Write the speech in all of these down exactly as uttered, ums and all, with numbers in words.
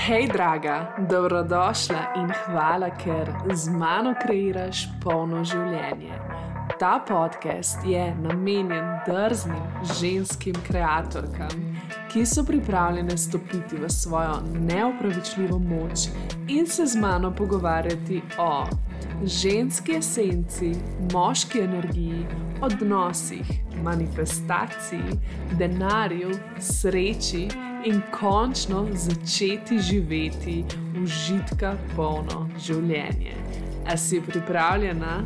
Hej, draga, dobrodošla in hvala, ker z mano kreiraš polno življenje. Ta podcast je namenjen drznim ženskim kreatorkam, ki so pripravljene stopiti v svojo neopravičljivo moč in se z mano pogovarjati o ženski esenci, moški energiji, odnosih, manifestaciji, denarju, sreči in končno začeti živeti užitka polno življenje. A si pripravljena?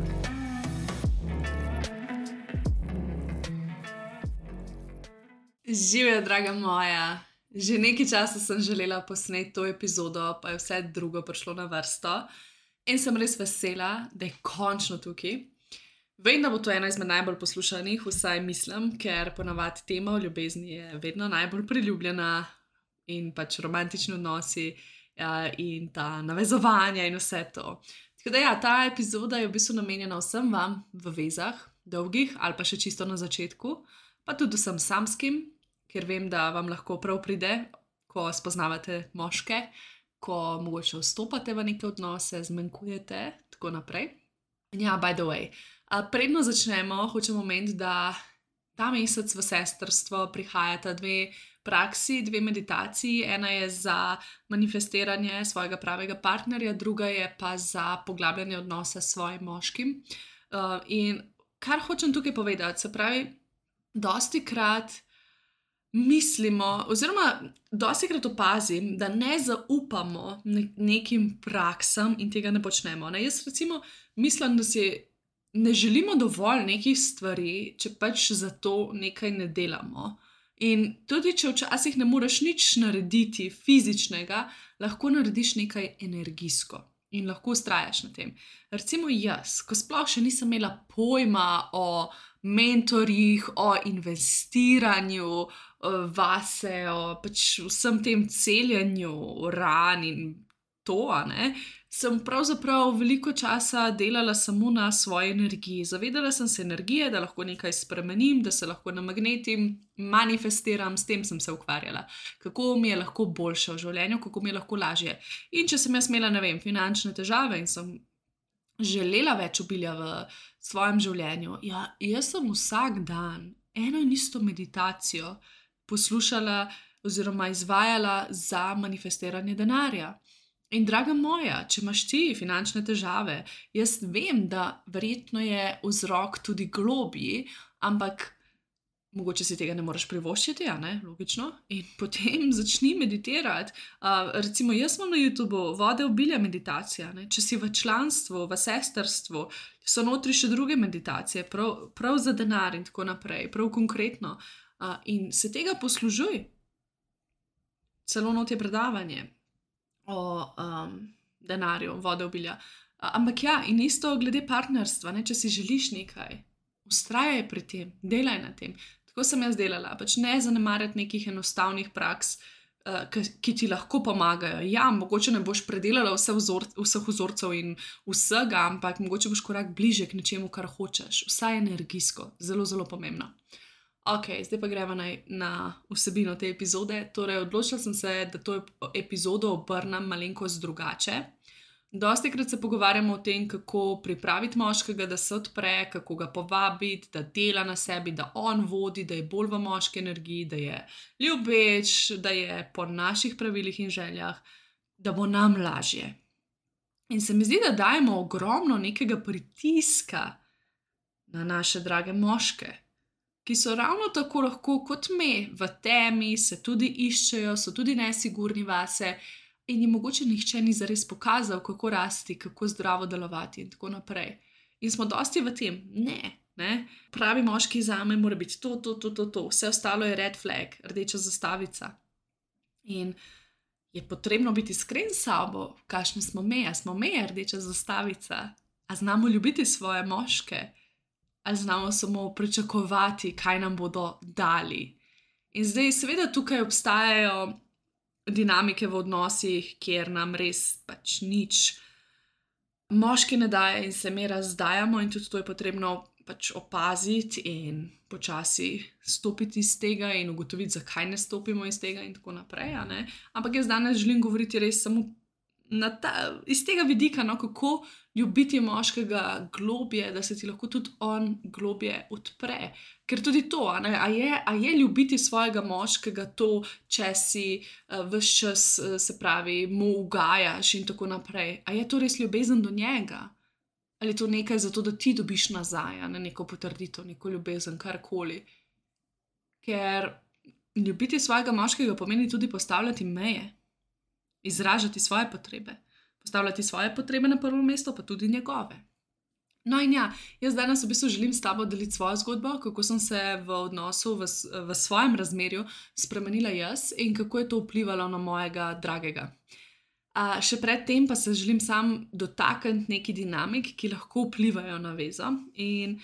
Živjo, draga moja! Že nekaj časa sem želela posneti to epizodo, pa je vse drugo prišlo na vrsto. In sem res vesela, da je končno tukaj. Vem, da bo to ena izmed najbolj poslušanih, vsaj mislim, ker ponavadi tema o ljubezni je vedno najbolj priljubljena in pač romantični odnosi ja, in ta navezovanja in vse to. Tako da ja, ta epizoda je v bistvu namenjena vsem vam v vezah, dolgih ali pa še čisto na začetku, pa tudi vsem samskim, ker vem, da vam lahko prav pride, ko spoznavate moške, ko mogoče vstopate v neke odnose, zmanjkujete, tako naprej. Ja, by the way, predno začnemo, hočem omeniti, da ta mesec v sestrstvo prihajata dve praksi, dve meditaciji. Ena je za manifestiranje svojega pravega partnerja, druga je pa za poglabljanje odnosa s svojim moškim. In kar hočem tukaj povedati, se pravi, dostikrat mislimo, oziroma dostikrat opazim, da ne zaupamo nekim praksam in tega ne počnemo. Ne? Jaz recimo mislim, da si ne želimo dovolj nekih stvari, če pač za to nekaj ne delamo. In tudi, če včasih ne moreš nič narediti fizičnega, lahko narediš nekaj energijsko in lahko vztrajaš na tem. Recimo jaz, ko sploh še nisem imela pojma o mentorjih, o investiranju vase, o pač vsem tem celjenju ran in to, ne, sem pravzaprav veliko časa delala samo na svoji energiji. Zavedala sem se energije, da lahko nekaj spremenim, da se lahko namagnetim, manifestiram, s tem sem se ukvarjala. Kako mi je lahko boljše v življenju, kako mi je lahko lažje. In če sem jaz imela, ne vem, finančne težave in sem želela več obilja v svojem življenju, ja, jaz sem vsak dan eno in isto meditacijo poslušala oziroma izvajala za manifestiranje denarja. In draga moja, če imaš ti finančne težave, jaz vem, da verjetno je vzrok tudi globji, ampak mogoče si tega ne moreš privoščiti, ja, ne, logično, in potem začni meditirati. Uh, recimo, jaz imam na YouTubeu Vode obilja meditacija, ne, če si v članstvu, v sestrstvu, so notri še druge meditacije, prav, prav za denar in tako naprej, prav konkretno. Uh, in se tega poslužuj. Celo not je predavanje o um, denarju, Vode obilja. Uh, ampak ja, in isto glede partnerstva, ne, če si želiš nekaj, vztrajaj pri tem, delaj na tem. Tako sem jaz delala, pač ne zanemarjati nekih enostavnih praks, uh, ki, ki ti lahko pomagajo. Ja, mogoče ne boš predelala vse vzor, vseh vzorcev in vsega, ampak mogoče boš korak bliže k nečemu, kar hočeš. Vsaj energijsko, zelo, zelo pomembno. Ok, zdaj pa gremo na, na vsebino te epizode. Torej, odločila sem se, da to epizodo obrnem malenkost drugače. Dostikrat se pogovarjamo o tem, kako pripraviti moškega, da se odpre, kako ga povabiti, da dela na sebi, da on vodi, da je bolj v moški energiji, da je ljubeč, da je po naših pravilih in željah, da bo nam lažje. In se mi zdi, da dajemo ogromno nekega pritiska na naše drage moške, ki so ravno tako lahko kot me v temi, se tudi iščejo, so tudi nesigurni vase in jim mogoče nihče ni zares pokazal, kako rasti, kako zdravo delovati in tako naprej. In smo dosti v tem, ne, ne, pravi moški zame mora biti to, to, to, to, to, vse ostalo je red flag, rdeča zastavica. In je potrebno biti iskren s sabo, kakšne smo me, a smo me rdeča zastavica, a znamo ljubiti svoje moške, ali znamo samo pričakovati, kaj nam bodo dali. In zdaj seveda tukaj obstajajo dinamike v odnosih, kjer nam res pač nič moški ne daje in se mi razdajamo in tudi to je potrebno pač opaziti in počasi stopiti iz tega in ugotoviti, zakaj ne stopimo iz tega in tako naprej. a ne. Ampak jaz danes želim govoriti res samo na ta, iz tega vidika, no, kako ljubiti moškega globje, da se ti lahko tudi on globje odpre. Ker tudi to, a, ne, a, je, a je ljubiti svojega moškega to, če si uh, ves čas, uh, se pravi, mu ugajaš in tako naprej. A je to res ljubezen do njega? Ali je to nekaj zato, da ti dobiš nazaj, a ne neko potrditev, neko ljubezen, karkoli. Ker ljubiti svojega moškega pomeni tudi postavljati meje, izražati svoje potrebe, postavljati svoje potrebe na prvo mesto, pa tudi njegove. No in ja, jaz danes v bistvu želim s tabo deliti svojo zgodbo, kako sem se v odnosu, v, v svojem razmerju spremenila jaz in kako je to vplivalo na mojega dragega. A, še predtem pa se želim sam dotakniti neki dinamik, ki lahko vplivajo na vezo. In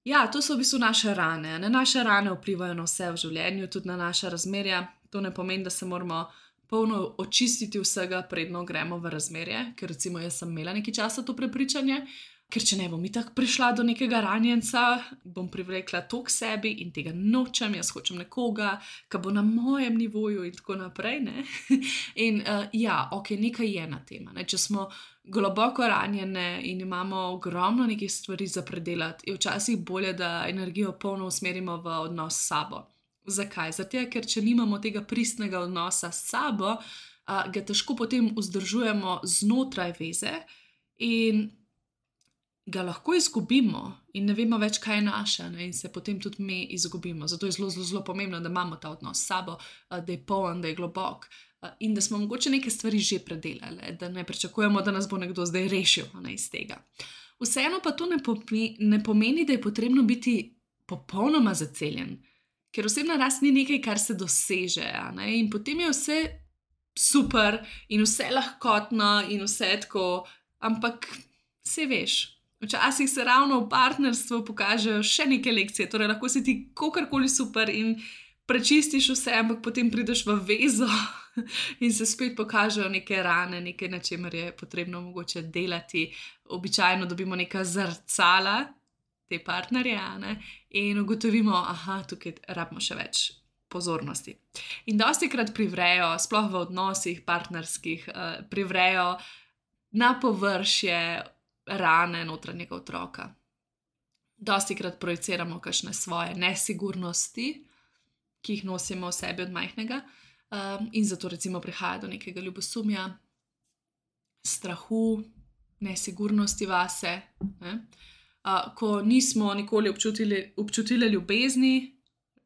ja, to so v bistvu naše rane. Ne? Naše rane vplivajo na vse v življenju, tudi na naša razmerja. To ne pomeni, da se moramo polno očistiti vsega, predno gremo v razmerje, ker recimo jaz sem imela nekaj časa to prepričanje, ker če ne bom itak prišla do nekega ranjenca, bom privlekla to k sebi in tega nočem, jaz hočem nekoga, ki bo na mojem nivoju in tako naprej. Ne? In uh, ja, ok, nekaj je na tema. Ne? Če smo globoko ranjene in imamo ogromno nekih stvari za predelati, je včasih bolje, da energijo polno usmerimo v odnos s sabo. Zakaj? Zato, ker če nimamo tega pristnega odnosa s sabo, a, ga težko potem vzdržujemo znotraj veze in ga lahko izgubimo in ne vemo več, kaj je naše, ne? In se potem tudi mi izgubimo. Zato je zelo, zelo, zelo pomembno, da imamo ta odnos s sabo, a, da je poln, da je globok a, in da smo mogoče neke stvari že predelali, da ne pričakujemo, da nas bo nekdo zdaj rešil, ne, iz tega. Vseeno pa to ne pomeni, ne pomeni, da je potrebno biti popolnoma zaceljen. Ker osebna rast ni nekaj, kar se doseže, a ne? In potem je vse super in vse lahkotno in vse tako, ampak saj veš, včasih se ravno v partnerstvu pokažejo še neke lekcije, torej lahko si ti kakorkoli super in prečistiš vse, ampak potem prideš v vezo in se spet pokažejo neke rane, nekaj, na čemer je potrebno mogoče delati. Običajno dobimo neka zrcala te partnerje, ne? In ugotovimo, aha, tukaj rabimo še več pozornosti. In dostikrat privrejo, sploh v odnosih partnerskih, uh, privrejo na površje rane notranjega otroka. Dostikrat projiciramo kakšne svoje nesigurnosti, ki jih nosimo v sebi od majhnega, um, in zato recimo prihaja do nekega ljubosumja, strahu, nesigurnosti vase, ne? Uh, ko nismo nikoli občutili, občutili ljubezni,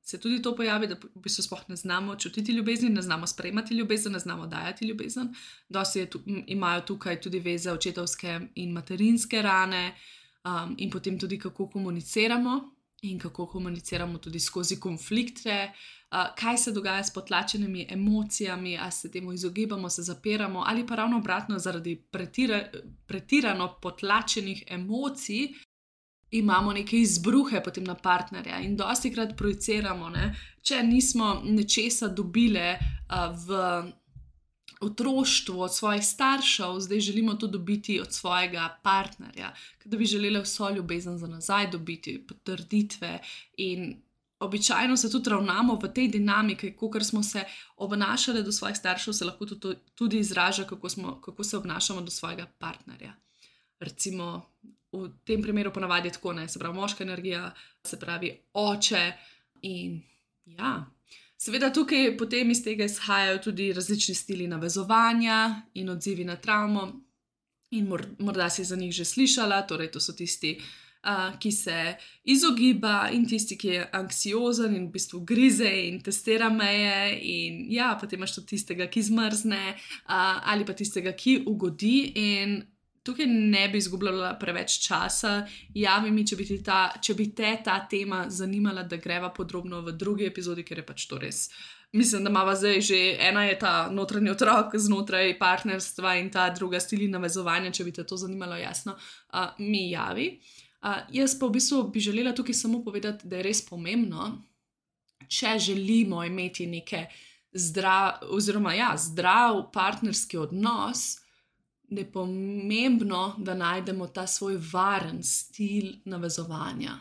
se tudi to pojavi, da v bistvu sploh ne znamo čutiti ljubezni, ne znamo sprejemati ljubezen, ne znamo dajati ljubezen. Dosti tu, imajo tukaj tudi veze očetovske in materinske rane, um, in potem tudi kako komuniciramo in kako komuniciramo tudi skozi konflikte, uh, kaj se dogaja s potlačenimi emocijami, ali se temu izogibamo, se zapiramo, ali pa ravno obratno, zaradi pretira, pretirano potlačenih emocij imamo neke izbruhe potem na partnerja in dostikrat projiciramo, ne? Če nismo nečesa dobile uh, v otroštvu od svojih staršev, zdaj želimo to dobiti od svojega partnerja, da bi želeli vso ljubezen za nazaj dobiti, potrditve in običajno se tudi ravnamo v tej dinamiki, kakor smo se obnašali do svojih staršev, se lahko tudi, tudi izraža, kako, smo, kako se obnašamo do svojega partnerja. Recimo, v tem primeru ponavadi je tako, ne, se pravi moška energija, se pravi oče in ja. Seveda tukaj potem iz tega izhajajo tudi različni stili navezovanja in odzivi na travmo in morda si za njih že slišala, torej to so tisti, uh, ki se izogiba in tisti, ki je anksiozen in v bistvu grize in testira meje in ja, potem imaš tudi tistega, ki zmrzne, uh, ali pa tistega, ki ugodi in tukaj ne bi izgubljala preveč časa, javi mi, če bi, ta, če bi te ta tema zanimala, da greva podrobno v drugi epizodi, ker je pač to res. Mislim, da imava zdaj že, ena je ta notranji otrok znotraj partnerstva in ta druga stili navezovanja, če bi te to zanimalo, jasno, uh, mi javi. Uh, jaz pa v bistvu bi želela tukaj samo povedati, da je res pomembno, če želimo imeti neke zdrav, oziroma ja, zdrav partnerski odnos, da je pomembno, da najdemo ta svoj varen stil navezovanja.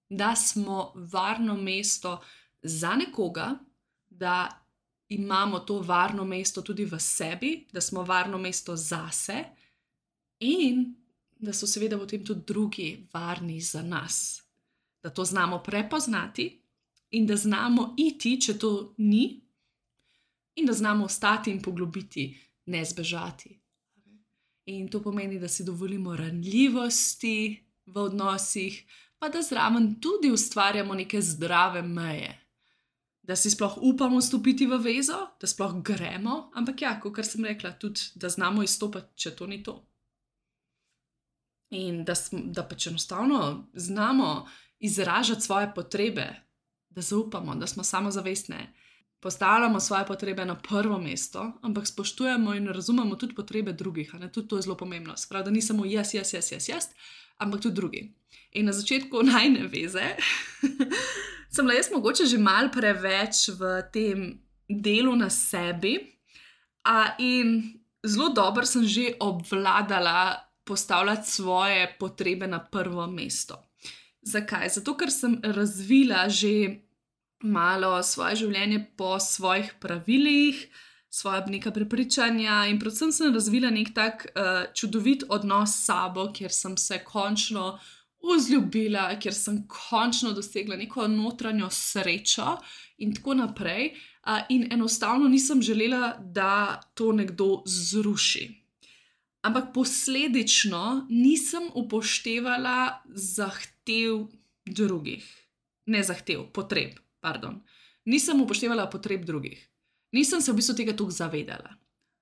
da smo varno mesto za nekoga, da imamo to varno mesto tudi v sebi, da smo varno mesto zase in da so seveda potem tudi drugi varni za nas. Da to znamo prepoznati in da znamo iti, če to ni, in da znamo ostati in poglobiti, ne zbežati. In to pomeni, da si dovolimo ranljivosti v odnosih, pa da zraven tudi ustvarjamo neke zdrave meje. Da si sploh upamo stopiti v vezo, da sploh gremo, ampak ja, kot sem rekla, tudi da znamo izstopati, če to ni to. In da, sm, da pač enostavno znamo izražati svoje potrebe, da zaupamo, da smo samozavestne, postavljamo svoje potrebe na prvo mesto, ampak spoštujemo in razumemo tudi potrebe drugih. Ne? Tudi to je zelo pomembno. Sprav, da ni samo jaz, jaz, jaz, jaz, jaz, ampak tudi drugi. In na začetku najne veze sem bila jaz mogoče že malo preveč v tem delu na sebi a, in zelo dobro sem že obvladala postavljati svoje potrebe na prvo mesto. Zakaj? Zato, ker sem razvila že malo svoje življenje po svojih pravilih, svoja neka prepričanja in predvsem sem razvila nek tak uh, čudovit odnos s sabo, kjer sem se končno vzljubila, kjer sem končno dosegla neko notranjo srečo in tako naprej. Uh, in enostavno nisem želela, da to nekdo zruši. Ampak posledično nisem upoštevala zahtev drugih. Ne zahtev, potreb, pardon. Nisem upoštevala potreb drugih. Nisem se v bistvu tega toliko zavedala.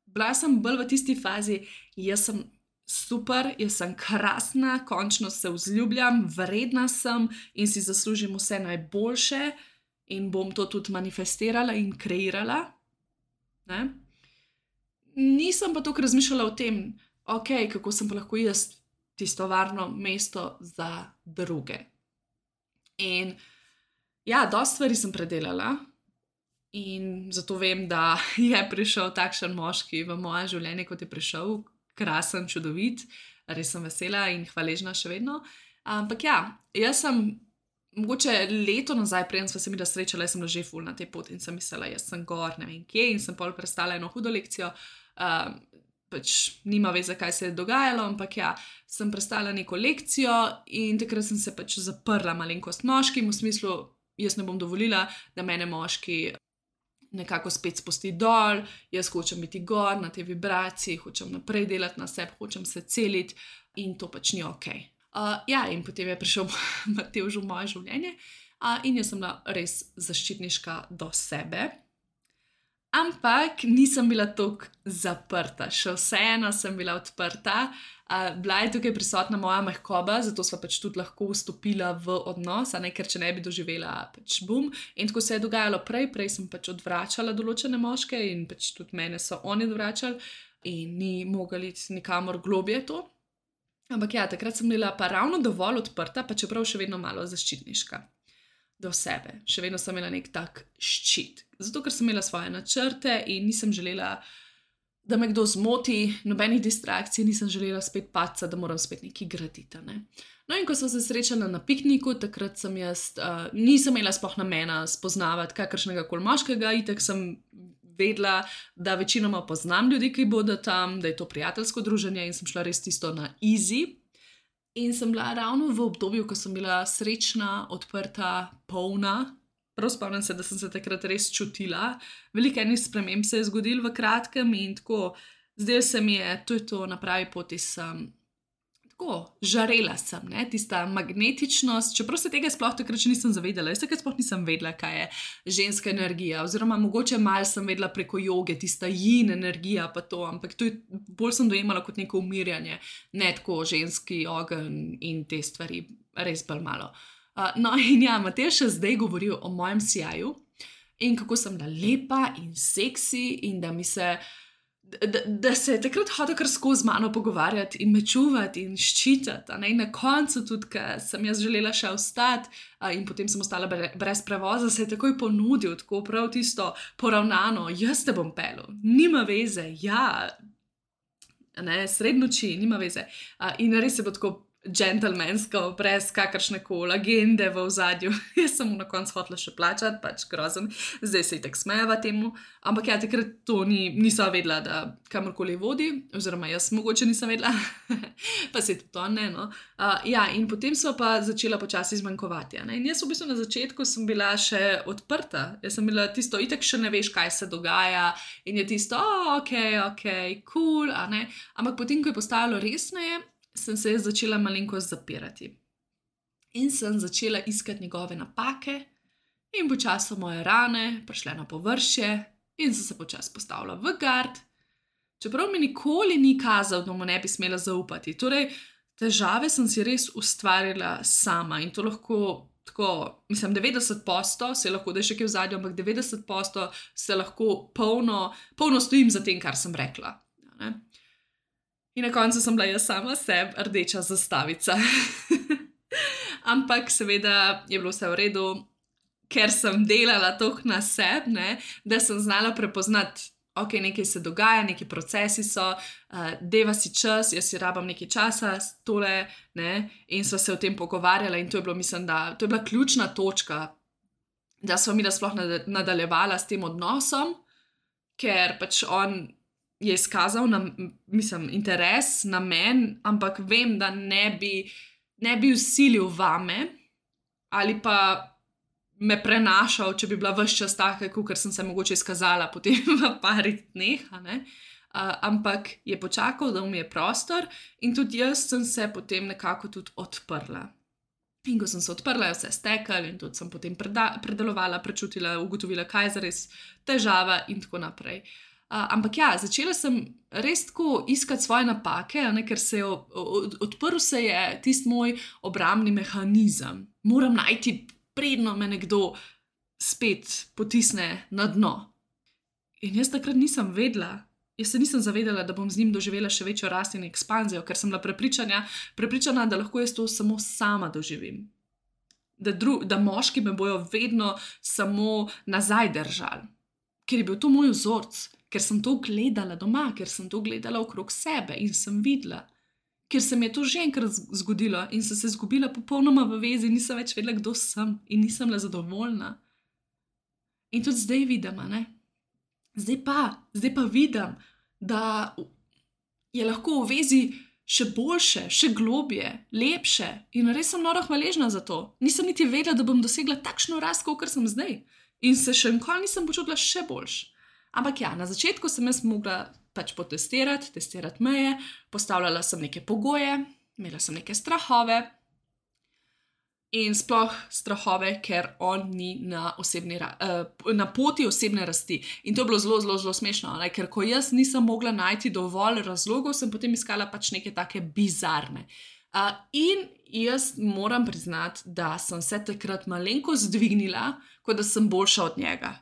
Bila sem bolj v tisti fazi, jaz sem super, jaz sem krasna, končno se vzljubljam, vredna sem in si zaslužim vse najboljše in bom to tudi manifestirala in kreirala. Ne? Nisem pa toliko razmišljala o tem, ok, kako sem pa lahko jaz tisto varno mesto za druge. In ja, dosti stvari sem predelala in zato vem, da je prišel takšen moški v moje življenje, kot je prišel, krasen, čudovit, res sem vesela in hvaležna še vedno. Ampak ja, jaz sem mogoče leto nazaj, preden sva se mi da srečala, jaz sem bila že ful na tej poti in sem mislila, jaz sem gor, ne vem kje, in sem pol prestala eno hudo lekcijo. Um, pač nima veze, kaj se je dogajalo, ampak ja, sem prestala neko lekcijo in takrat sem se pač zaprla malenkost moškim, v smislu, jaz ne bom dovolila, da mene moški nekako spet spusti dol, jaz hočem biti gor na tej vibraciji, hočem naprej delati na sebi, hočem se celiti in to pač ni ok. Uh, ja, in potem je prišel Matevž v moje življenje uh, in jaz sem bila res zaščitniška do sebe. Ampak nisem bila tako zaprta, še vseeno sem bila odprta, uh, bila je tukaj prisotna moja mehkoba, zato sva pač tudi lahko vstopila v odnos, a ne, ker če ne bi doživela pač bum. In tako se je dogajalo prej, prej sem pač odvračala določene moške in pač tudi mene so oni odvračali in ni mogli iti nikamor globje to. Ampak ja, takrat sem bila pa ravno dovolj odprta, pa čeprav še vedno malo zaščitniška do sebe. Še vedno sem imela nek tak ščit. Zato, ker sem imela svoje načrte in nisem želela, da me kdo zmoti, nobenih distrakcij, nisem želela spet paca, da moram spet nekaj graditi. Ne? No in ko sem se srečala na pikniku, takrat sem jaz, uh, nisem imela sploh namena spoznavati kakršnega koli moškega, itak sem vedela, da večinoma poznam ljudi, ki bodo tam, da je to prijateljsko druženje in sem šla res tisto na easy. In sem bila ravno v obdobju, ko sem bila srečna, odprta, polna. Prav spomnim se, da sem se takrat res čutila. Veliko enih sprememb se je zgodilo v kratkem in tako, zdaj se mi je, to je to, na pravi poti sem, tako, žarela sem, ne, tista magnetičnost, čeprav se tega sploh takrat še nisem zavedala. Jaz takrat sploh nisem vedela, kaj je ženska energija, oziroma mogoče malo sem vedela preko joge, tista yin energija pa to, ampak to je, bolj sem dojemala kot neko umirjanje, ne tako ženski ogenj in te stvari, res bolj malo. Uh, no in ja, Matevž še zdaj govori o mojem sijaju in kako sem bila lepa in seksi in da mi se Da, da se je takrat hodil kar skozi mano pogovarjati in me čuvati in ščitati. In na koncu tudi, ker sem jaz želela še ostati in potem sem ostala brez prevoza, se je takoj ponudil, tako prav tisto poravnano, jaz te bom pelil, nima veze, ja, ne, sred noči, nima veze. In res je bilo tako džentelmensko, brez kakršne koli agende v ozadju. Jaz sem mu na koncu hotela še plačati, pač grozen, zdaj se itak smejava temu, ampak ja, takrat to ni, nisem vedela, da kamorkoli vodi, oziroma jaz mogoče nisem vedela, pa se tudi to ne, no. Uh, ja, in potem so pa začela počasi zmanjkovati, ne, in jaz v bistvu na začetku sem bila še odprta, jaz sem bila tisto, itak še ne veš, kaj se dogaja, in je tisto, oh, ok, ok, cool, a ne, ampak potem, ko je postajalo resneje, sem se jaz začela malenkost zapirati. In sem začela iskati njegove napake in počasi so moje rane prišle na površje in sem se počasi postavila v gard, čeprav mi nikoli ni kazal, da mu ne bi smela zaupati. Torej, težave sem si res ustvarila sama in to lahko tako, mislim, devetdeset posto se lahko, da je še kaj v zadju, ampak devetdeset posto se lahko polno, polno stojim za tem, kar sem rekla. Ne? In na koncu sem bila jaz sama sebi rdeča zastavica. Ampak seveda je bilo vse v redu, ker sem delala toliko na sebi, ne, da sem znala prepoznati, ok, nekaj se dogaja, neki procesi so, uh, deva si čas, jaz si rabam nekaj časa, tole, ne, in sva se o tem pogovarjala in to je bilo, mislim, da to je bila ključna točka, da sva mi da sploh nadaljevala s tem odnosom, ker pač on je izkazal na, mislim, interes na men, ampak vem, da ne bi, ne bi vsilil vame ali pa me prenašal, če bi bila ves čas taka, kakor sem se mogoče izkazala potem v parih dneh, ne? Uh, ampak je počakal, da mi je prostor in tudi jaz sem se potem nekako tudi odprla. In ko sem se odprla, je vse stekal in tudi sem potem preda- predelovala, prečutila, ugotovila, kaj je zares težava in tako naprej. Uh, ampak ja, začela sem res tako iskati svoje napake, ne, ker se je od, odprl se je tisti moj obrambni mehanizem. Moram najti, predno me nekdo spet potisne na dno. In jaz takrat nisem vedela, jaz se nisem zavedala, da bom z njim doživela še večjo rast in ekspanzijo, ker sem bila prepričana, prepričana, da lahko jaz to samo sama doživim. Da, dru, da moški me bojo vedno samo nazaj držali. Ker je bil to moj vzorc, ker sem to gledala doma, ker sem to gledala okrog sebe in sem videla. Ker se mi je to že enkrat zgodilo in sem se izgubila popolnoma v vezi, nisem več vedela, kdo sem in nisem bila zadovoljna. In tudi zdaj vidim, ne? Zdaj pa, zdaj pa vidim, da je lahko v vezi še boljše, še globje, lepše in res sem noro hvaležna za to. Nisem niti vedela, da bom dosegla takšno rast, kot sem zdaj. In se še nikoli nisem počutila še boljš. Ampak ja, na začetku sem jaz mogla pač potestirati, testirati meje, postavljala sem neke pogoje, imela sem neke strahove in sploh strahove, ker on ni na, osebni, uh, na poti osebne rasti. In to je bilo zelo, zelo, zelo smešno, ne? Ker ko jaz nisem mogla najti dovolj razlogov, sem potem iskala pač neke take bizarne. Uh, in jaz moram priznati, da sem se takrat malenko zdvignila, kot da sem boljša od njega.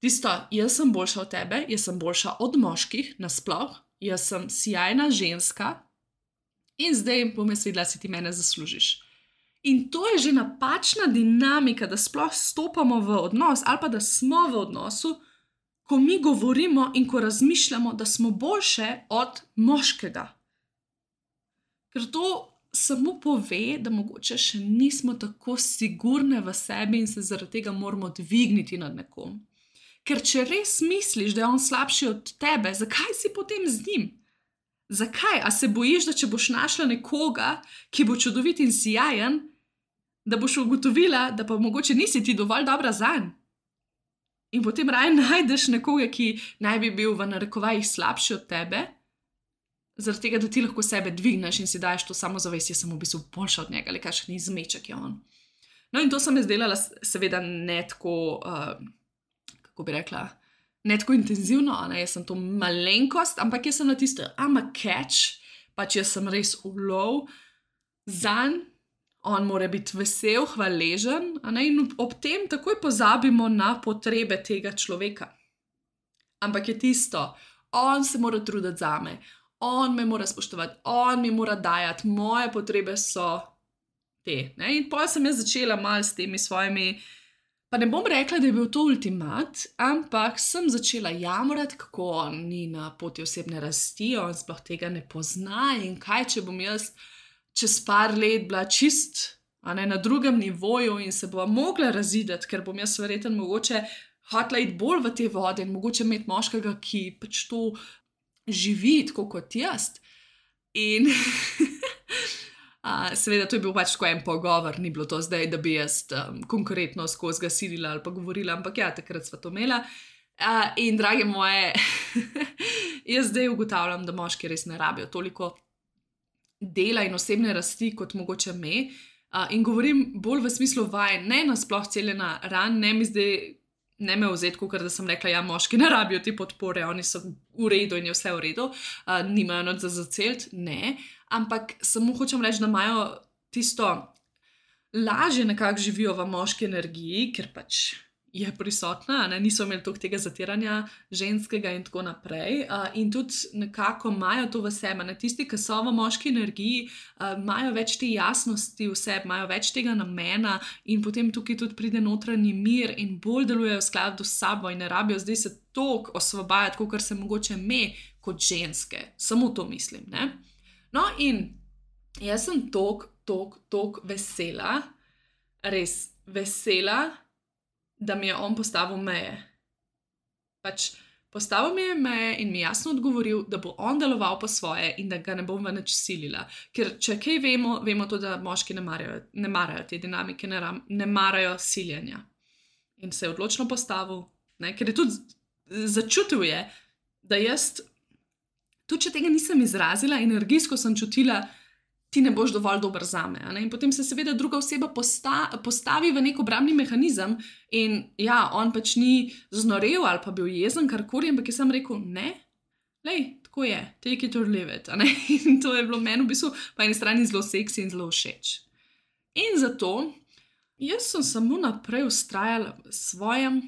Tisto, jaz sem boljša od tebe, jaz sem boljša od moških nasploh, jaz sem sijajna ženska in zdaj bom jaz vedela, si ti mene zaslužiš. In to je že napačna dinamika, da sploh stopamo v odnos ali pa da smo v odnosu, ko mi govorimo in ko razmišljamo, da smo boljše od moškega. Ker to samo pove, da mogoče še nismo tako sigurne v sebi in se zaradi tega moramo dvigniti nad nekom. Ker če res misliš, da je on slabši od tebe, zakaj si potem z njim? Zakaj? A se bojiš, da če boš našla nekoga, ki bo čudovit in sijajen, da boš ugotovila, da pa mogoče nisi ti dovolj dobra zanj? In potem raje najdeš nekoga, ki naj bi bil v narekovajih slabši od tebe, zaradi tega, da ti lahko sebe dvigneš in si daješ to samozavest, jaz sem v bistvu boljša od njega, ali kakšen izmeček je on. No in to sem jaz delala seveda ne tako, uh, kako bi rekla, ne tako intenzivno, ne? Jaz sem to malenkost, ampak jaz sem na tisto, I'm a catch, pač jaz sem res ulov zanj, on mora biti vesel, hvaležen, ne? In ob tem takoj pozabimo na potrebe tega človeka. Ampak je tisto, on se mora truditi zame, on me mora spoštovati, on mi mora dajati, moje potrebe so te. Ne? In potem sem jaz začela malo s temi svojimi, pa ne bom rekla, da je bil to ultimat, ampak sem začela jamrati, kako on ni na poti osebne rasti, on sploh tega ne pozna in kaj, če bom jaz čez par let bila čist a ne, na drugem nivoju in se bova mogla razideti, ker bom jaz verjetno mogoče hotela iti bolj v te vode in mogoče imeti moškega, ki pač to živi tako kot jaz. In a, seveda to je bil pač tako en pogovor, ni bilo to zdaj, da bi jaz um, konkretno skozi ga silila ali pa govorila, ampak ja, takrat sva to imela. A, in drage moje, jaz zdaj ugotavljam, da moški res ne rabijo toliko dela in osebne rasti kot mogoče me. A, in govorim bolj v smislu vaj, ne nasploh celjena ran, ne mi zdaj, ne me vzeti, ker da sem rekla, ja, moški ne rabijo te podpore, oni so v redu in je vse v redu, a, nimajo noč za zacelt, ne, ampak samo hočem reči, da imajo tisto lažje nekako živijo v moški energiji, ker pač je prisotna, ne, niso imeli toliko tega zatiranja ženskega in tako naprej, a, in tudi nekako imajo to v sebi, ne, tisti, ki so v moški energiji, a, imajo več te jasnosti v sebi, imajo več tega namena in potem tukaj tudi pride notranji mir in bolj delujejo v skladu s sabo in ne rabijo zdaj se toliko osvobajati, kot se mogoče me kot ženske, samo to mislim, ne. No in jaz sem tok, tok, tok vesela, res vesela, da mi je on postavil meje. Pač postavil mi je meje in mi jasno odgovoril, da bo on deloval po svoje in da ga ne bom v nič silila. Ker če kaj vemo, vemo to, da moški ne marajo, ne marajo te dinamike, ne, ram, ne marajo siljenja. In se je odločno postavil, ne, ker je tudi začutil je, da jaz, tudi če tega nisem izrazila, energijsko sem čutila, ti ne boš dovolj dober zame. In potem se seveda druga oseba posta, postavi v nek obrambni mehanizem in ja, on pač ni znorel ali pa bil jezen, karkoli, ampak je sam rekel, ne, lej, tako je, take it or leave it. In to je bilo meni v bistvu po eni strani zelo seksi in zelo všeč. In zato jaz sem samo naprej vztrajala v svojem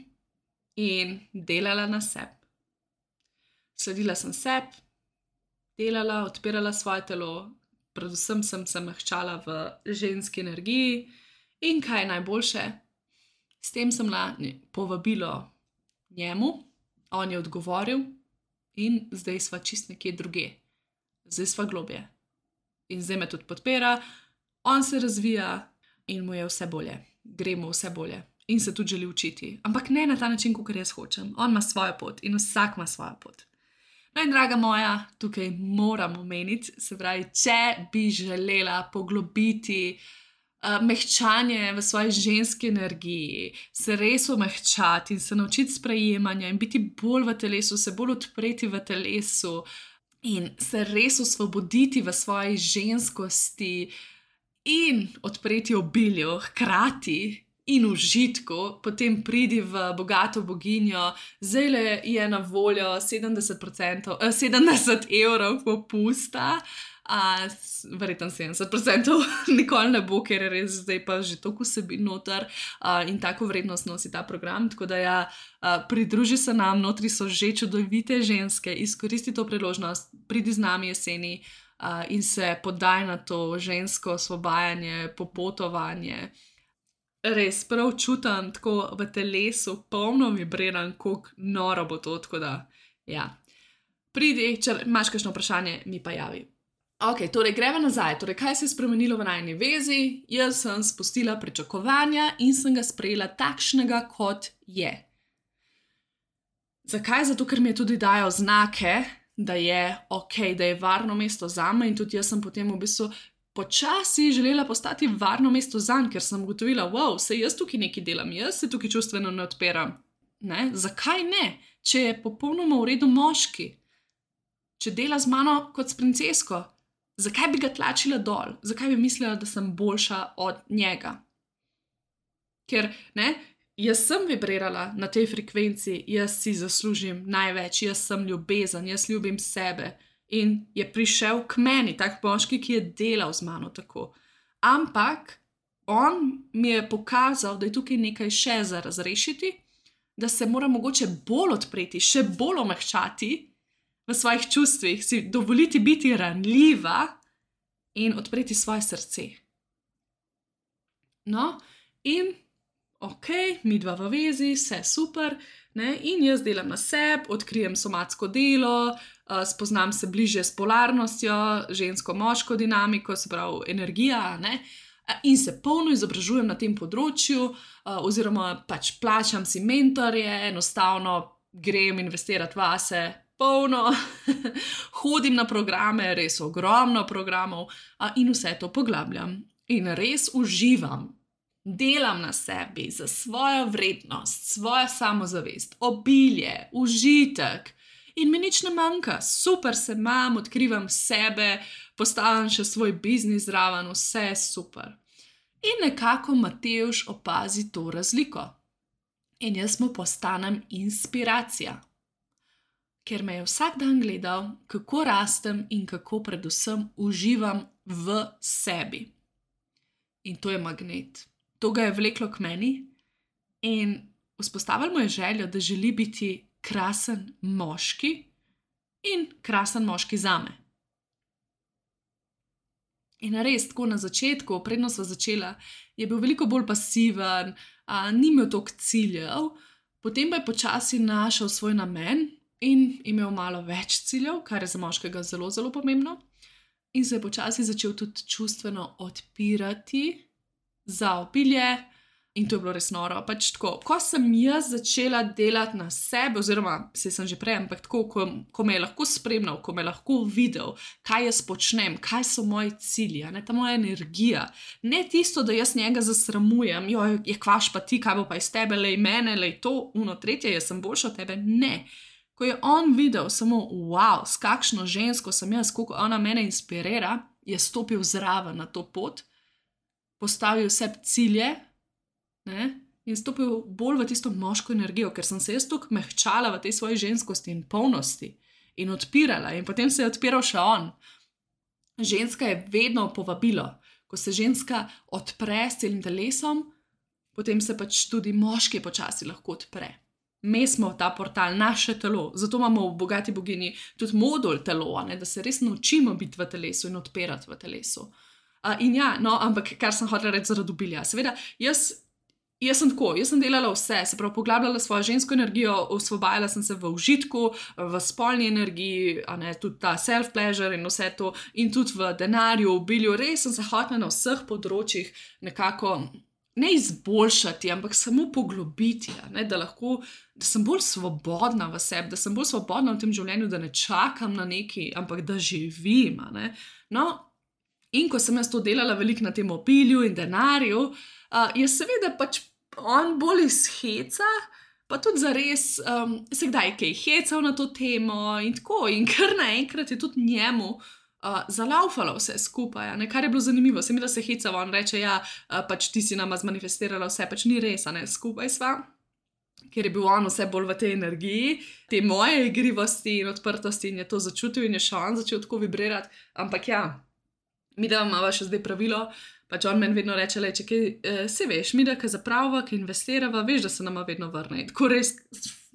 in delala na sebi. Sledila sem sebi, delala, odpirala svoje telo, predvsem sem se mehčala v ženski energiji in kaj je najboljše, s tem sem na povabilo njemu, on je odgovoril in zdaj sva čist nekje druge, zdaj sva globje. In zdaj me tudi podpira, on se razvija in mu je vse bolje, gre mu vse bolje in se tudi želi učiti, ampak ne na ta način, kot jaz hočem, on ima svojo pot in vsak ima svojo pot. No in draga moja, tukaj moram omeniti, se pravi, če bi želela poglobiti uh, mehčanje v svoji ženski energiji, se res omehčati in se naučiti sprejemanja in biti bolj v telesu, se bolj odpreti v telesu in se res osvoboditi v svoji ženskosti in odpreti obilju hkrati in užitku, potem pridi v bogato boginjo, zdajle je na voljo sedemdeset procentov, eh, sedemdeset evrov popusta, a, verjetno sedemdeset procentov nikoli ne bo, ker je res zdaj pa že toliko vsebin noter a, in tako vrednost nosi ta program, tako da ja, a, pridruži se nam, notri so že čudovite ženske, izkoristi to priložnost, pridi z nami jeseni a, in se podaj na to žensko osvobajanje, popotovanje. Res, prav čutam tako v telesu, polno vibriram, koliko noro bo to, tako da, ja. Pridi, če imaš kakšno vprašanje, mi pa javi. Ok, torej greva nazaj, torej kaj se je spremenilo v najini vezi? Jaz sem spustila pričakovanja in sem ga sprejela takšnega, kot je. Zakaj? Zato, ker mi je tudi dajal znake, da je ok, da je varno mesto zame in tudi jaz sem potem v bistvu počasi želela postati varno mesto zanj, ker sem ugotovila, wow, se jaz tukaj nekaj delam, jaz se tukaj čustveno ne odpiram. Ne? Zakaj ne? Če je popolnoma v redu moški, če dela z mano kot s princesko, zakaj bi ga tlačila dol? Zakaj bi mislila, da sem boljša od njega? Ker, ne, jaz sem vibrirala na tej frekvenci, jaz si zaslužim največ, jaz sem ljubezen, jaz ljubim sebe. In je prišel k meni, tak moški, ki je delal z mano tako. Ampak on mi je pokazal, da je tukaj nekaj še za razrešiti, da se mora mogoče bolj odpreti, še bolj omehčati v svojih čustvih, si dovoliti biti ranljiva in odpreti svoje srce. No, in ok, midva v vezi, vse super, Ne? In jaz delam na sebi, odkrijem somatsko delo, uh, spoznam se bližje s polarnostjo, žensko-moško dinamiko, se pravi energija, ne? In se polno izobražujem na tem področju, uh, oziroma pač plačam si mentorje, enostavno grem investirati vase, polno, hodim na programe, res ogromno programov uh, in vse to poglabljam. In res uživam, delam na sebi za svojo vrednost, svojo samozavest, obilje, užitek. In mi nič ne manjka, super se imam, odkrivam sebe, postavim še svoj biznis zraven, vse je super. In nekako Matevž opazi to razliko. In jaz mu postanem inspiracija. Ker me je vsak dan gledal, kako rastem in kako predvsem uživam v sebi. In to je magnet. To ga je vleklo k meni in vzpostavil mu je željo, da želi biti krasen moški in krasen moški zame. In res, tako na začetku, predno sva začela, je bil veliko bolj pasiven, a, ni imel toliko ciljev, potem pa je počasi našel svoj namen in imel malo več ciljev, kar je za moškega zelo, zelo pomembno. In se je počasi začel tudi čustveno odpirati za obilje. In to je bilo res noro. Pač tako, ko sem jaz začela delati na sebi, oziroma se sem že prej, ampak tako, ko, ko me je lahko spremljal, ko me je lahko videl, kaj jaz počnem, kaj so moji cilji, ne, ta moja energija. Ne tisto, da jaz njega zasramujem, jo, je kvaš pa ti, kaj bo pa iz tebe, lej mene, lej to, uno, tretje, jaz sem boljša od tebe. Ne. Ko je on videl samo, wow, s kakšno žensko sem jaz, koliko ona mene inspirira, je stopil zraven na to pot, postavil sebi cilje, ne? In stopil bolj v tisto moško energijo, ker sem se jaz toliko mehčala v tej svoji ženskosti in polnosti in odpirala in potem se je odpiral še on. Ženska je vedno povabilo. Ko se ženska odpre s celim telesom, potem se pač tudi moški počasi lahko odpre. Mi smo ta portal, naše telo, zato imamo v Bogati bogini tudi modul telo, ne? Da se res naučimo biti v telesu in odpirati v telesu. Uh, in ja, no, ampak kar sem hotela reči zaradi obilja. Seveda, jaz Jaz sem tako, jaz sem delala vse, se pravi, poglabljala svojo žensko energijo, osvobajala sem se v užitku, v spolni energiji, a ne, tudi ta self-pleasure in vse to, in tudi v denarju, v obilju, res sem se hotela na vseh področjih nekako ne izboljšati, ampak samo poglobiti, ne, da lahko, da sem bolj svobodna v sebi, da sem bolj svobodna v tem življenju, da ne čakam na neki, ampak da živim, a ne. No, in ko sem jaz to delala veliko na tem obilju in denarju, uh, je seveda pač on bolj iz heca, pa tudi zares um, se kdaj kaj hecal na to temo in tako, in kar naenkrat je tudi njemu uh, zalaufalo vse skupaj, ne, kar je bilo zanimivo, se mi da se hecava, on reče, ja, uh, pač ti si nama zmanifestirala vse, pač ni res, a ne, skupaj sva, ker je bil on vse bolj v tej energiji, te moje igrivosti in odprtosti in je to začutil in je še on začel tako vibrirati, ampak ja, mi da imava še zdaj pravilo, pač on meni vedno reče, če kaj, eh, se veš, mi da kaj zapravava, kaj investirava, veš, da se nama vedno vrne. Tako res,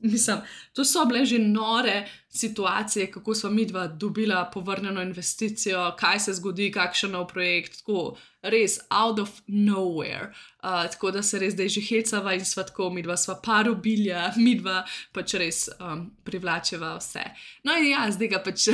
mislim, to so bile že nore situacije, kako sva midva dobila povrnjeno investicijo, kaj se zgodi, kakšen nov projekt, tako res out of nowhere. Uh, tako da se res zdaj že hecava in sva tako, midva sva par obilja, midva pač res um, privlačeva vse. No in ja, zdaj ga pač,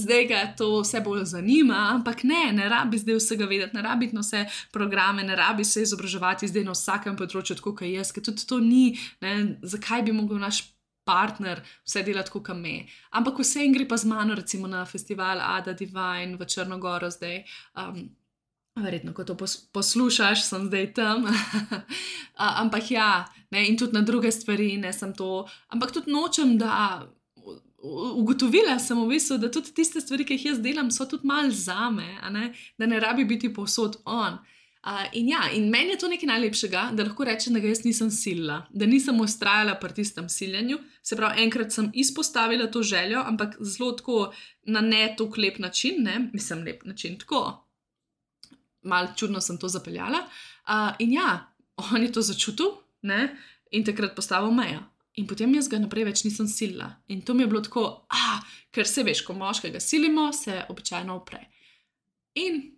zdaj ga to vse bolj zanima, ampak ne, ne rabi zdaj vsega vedeti, ne rabi na vse programe, ne rabi se izobraževati zdaj na vsakem področju, tako kot jaz, ker tudi to ni, ne, zakaj bi mogel naš partner vse delati tako, kot me. Ampak vse in gre pa z mano, recimo na festival Ada Divine v Črnogoro zdaj, um, verjetno, ko to pos- poslušaš, sem zdaj tam, A, ampak ja, ne, in tudi na druge stvari, ne sem to, ampak tudi nočem, da ugotovila sem v bistvu, da tudi tiste stvari, ki jih jaz delam, so tudi malo zame, a ne, da ne rabi biti povsod on. Uh, in ja, in meni je to nekaj najlepšega, da lahko rečem, da ga jaz nisem silila, da nisem ustrajala pri tistem siljenju, se pravi, enkrat sem izpostavila to željo, ampak zelo tako na ne toliko lep način, ne, mislim lep način, tako, malo čudno sem to zapeljala, uh, in ja, on je to začutil, ne, in takrat postavil mejo. In potem jaz ga naprej več nisem silila. In to mi je bilo tako, ah, ker se veš, ko moškega silimo, se običajno upre. In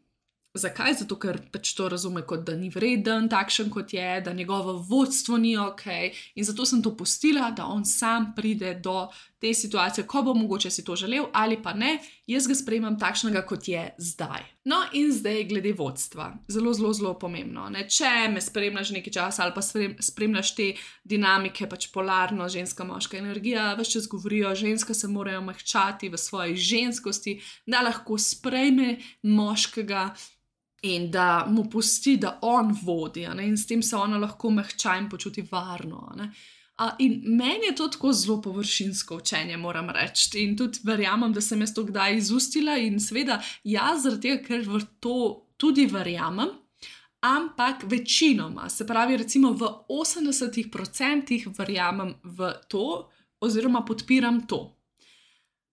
Zakaj? Zato, ker pač to razume kot, da ni vreden, takšen kot je, da njegovo vodstvo ni ok. In zato sem to pustila, da on sam pride do te situacije, ko bo mogoče si to želel ali pa ne. Jaz ga sprejemam takšnega, kot je zdaj. No in zdaj glede vodstva. Zelo, zelo, zelo pomembno. Ne? Če me spremljaš nekaj časa ali pa spremljaš te dinamike, pač polarno, ženska, moška energija, ves čas govorijo, ženska se morajo mehčati v svoji ženskosti, da lahko sprejme moškega in da mu pusti, da on vodi, ne? In s tem se ona lahko mehča in počuti varno. Ne? A, in meni je to tako zelo površinsko učenje, moram reči. In tudi verjamem, da sem jaz to kdaj izustila in seveda jaz zaradi tega, ker v to tudi verjamem, ampak večinoma, se pravi recimo v osemdesetih procentih verjamem v to oziroma podpiram to.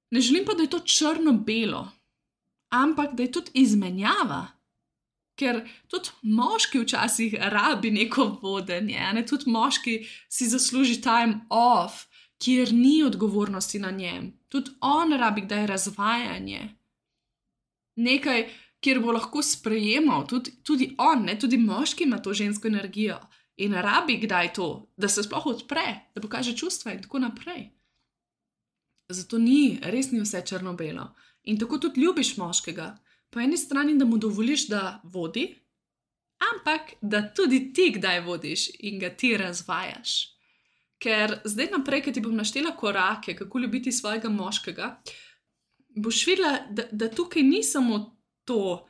Ne želim pa, da je to črno-belo, ampak da je tudi izmenjava. Ker tudi moški včasih rabi neko vodenje, ne? Tudi moški si zasluži time off, kjer ni odgovornosti na njem. Tudi on rabi kdaj razvajanje. Nekaj, kjer bo lahko sprejemal, tudi, tudi on, ne? Tudi moški ima to žensko energijo in rabi kdaj to, da se sploh odpre, da pokaže čustva in tako naprej. Zato ni, res ni vse črno-belo. In tako tudi ljubiš moškega. Po eni strani, da mu dovoliš, da vodi, ampak da tudi ti kdaj vodiš in ga ti razvajaš. Ker zdaj naprej, ko ti bom naštela korake, kako ljubiti svojega moškega, boš videla, da, da tukaj ni samo to,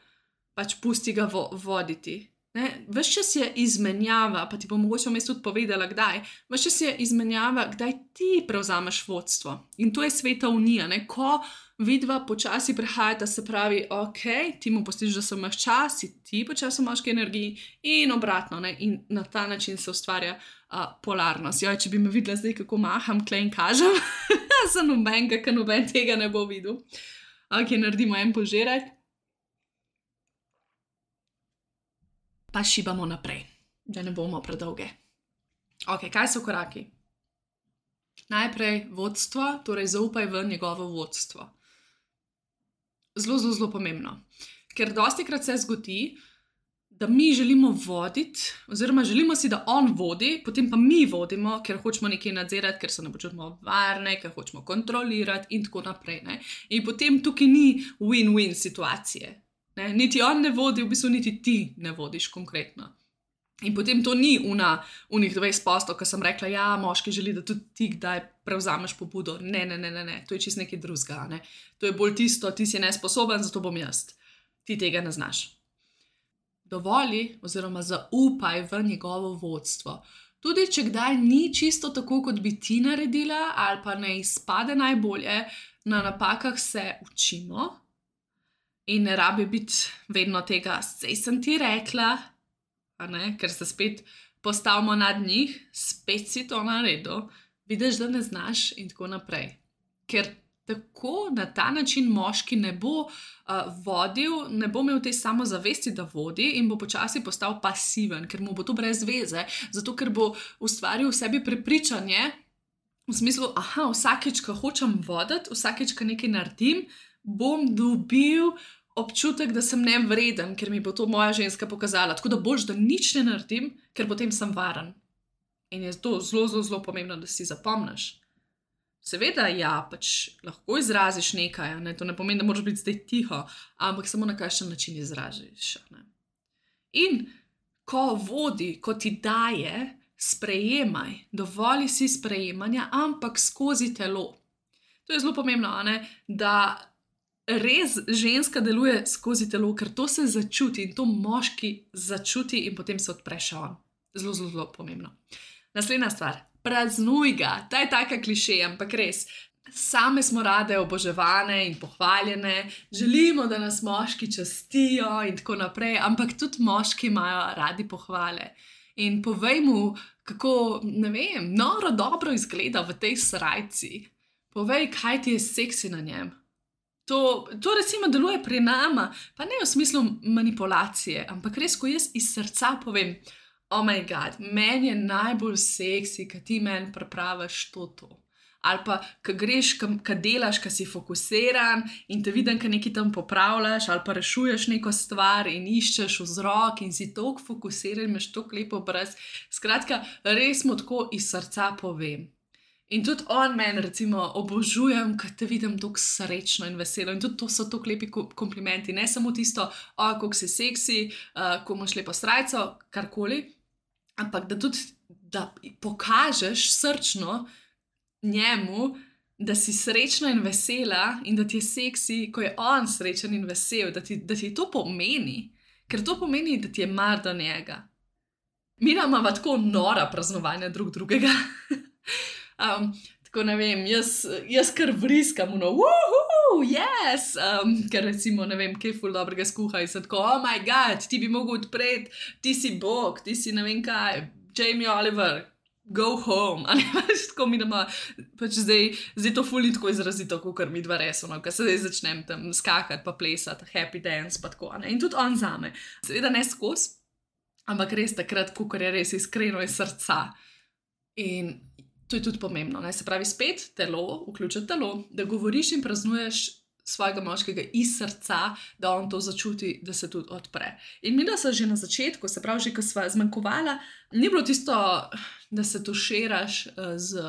pač pusti ga vo, voditi. Ne? Ves čas je izmenjava, pa ti bom mogoče vmes tudi povedala, kdaj. Ves čas je izmenjava, kdaj ti prevzameš vodstvo. In to je sveta unija, ne? Ko vidva počasi prehajata, se pravi, ok, ti mu pustiš, da se mehča, si ti počasi v moški energiji in obratno, ne? In na ta način se ustvarja uh, polarnost. Joj, če bi me videla zdaj, kako maham, tle in kažem, za nobenega, ker noben tega ne bo videl. Ok, naredimo en požirek. Pa šibamo naprej, da ne bomo predolge. Ok, kaj so koraki? Najprej vodstvo, torej zaupaj v njegovo vodstvo. Zelo, zelo, zelo pomembno. Ker dostikrat se zgodi, da mi želimo voditi, oziroma želimo si, da on vodi, potem pa mi vodimo, ker hočemo nekaj nadzirati, ker se ne počutimo varne, ker hočemo kontrolirati in tako naprej. Ne? In potem tukaj ni win-win situacije. Ne? Niti on ne vodi, v bistvu niti ti ne vodiš konkretno. In potem to ni una, unih dvajset posto, ko sem rekla, ja, moški želi, da tudi ti kdaj prevzameš pobudo. Ne, ne, ne, ne, ne. To je čisto nekaj drugega. Ne? To je bolj tisto, ti si nesposoben, zato bom jaz. Ti tega ne znaš. Dovoli oziroma zaupaj v njegovo vodstvo. Tudi če kdaj ni čisto tako, kot bi ti naredila, ali pa ne izpade najbolje, na napakah se učimo. In ne rabi biti vedno tega, sej sem ti rekla, a ne, ker se spet postavimo nad njih, spet si to naredil, vidiš, da ne znaš in tako naprej. Ker tako na ta način moški ne bo uh, vodil, ne bo imel te samozavesti, da vodi in bo počasi postal pasiven, ker mu bo to brez veze, zato ker bo ustvaril v sebi prepričanje, v smislu, aha, vsakeč, ko hočem voditi, vsakeč, ko nekaj naredim, bom dobil občutek, da sem nevreden, ker mi bo to moja ženska pokazala. Tako da boljš, da nič ne naredim, ker potem sem varen. In je to zelo, zelo, zelo pomembno, da si zapomniš. Seveda, ja, pač lahko izraziš nekaj, ne? To ne pomeni, da moraš biti zdaj tiho, ampak samo na kakšen način izražiš. Ne? In ko vodi, ko ti daje, sprejemaj, dovoli si sprejemanja, ampak skozi telo. To je zelo pomembno, ne? Da res ženska deluje skozi telo, ker to se začuti in to moški začuti in potem se odpre še on. Zelo, zelo, zelo pomembno. Naslednja stvar, praznuj ga. Ta je taka klišej, ampak res. Same smo rade oboževane in pohvaljene, želimo, da nas moški častijo in tako naprej, ampak tudi moški imajo radi pohvale. In povej mu, kako, ne vem, noro dobro izgleda v tej srajci. Povej, kaj ti je seksi na njem. To, to recimo deluje pri nama, pa ne v smislu manipulacije, ampak res, ko jaz iz srca povem, oh my god, meni je najbolj seksi, kad ti meni pripraviš to, to. ali pa, ko greš, ko delaš, ko si fokusiran in te vidim, ko nekaj tam popravljaš, ali pa rešuješ neko stvar in iščeš vzrok in si toliko fokusiran, imaš toliko lepo obraz. Skratka, res mu tako iz srca povem. In tudi on meni, recimo, obožujem, ko te vidim tako srečno in veselo. In tudi to so tako lepi komplimenti. Ne samo tisto, o, kako si seksi, uh, ko imaš lepo srajco, karkoli, ampak da tudi da pokažeš srčno njemu, da si srečna in vesela in da ti je seksi, ko je on srečen in vesel, da ti, da ti to pomeni. Ker to pomeni, da ti je mar do njega. Mi imamo tako nora praznovanja drug drugega. Um, tako ne vem, jaz, jaz kar vriskam, no, wuhu, yes, um, ker recimo ne vem, kaj ful dobrega skuha in sem tako, oh my god, ti bi mogel odpreti, ti si bog, ti si ne vem kaj, Jamie Oliver, go home, ali pač tako mi doma, pač zdaj, zdaj to ful ni tako izrazito, kakor mi dva reso, no, ker se zdaj začnem tam skakati pa plesati, happy dance pa tako, ne, in tudi on zame, seveda ne skos, ampak res takrat, kakor je res iskreno iz srca. In to je tudi pomembno, ne? Se pravi spet telo, vključiti telo, da govoriš in praznuješ svojega moškega iz srca, da on to začuti, da se tudi odpre. In mi da se že na začetku, se pravi, že ko sva zmanjkovala, ni bilo tisto, da se tuširaš z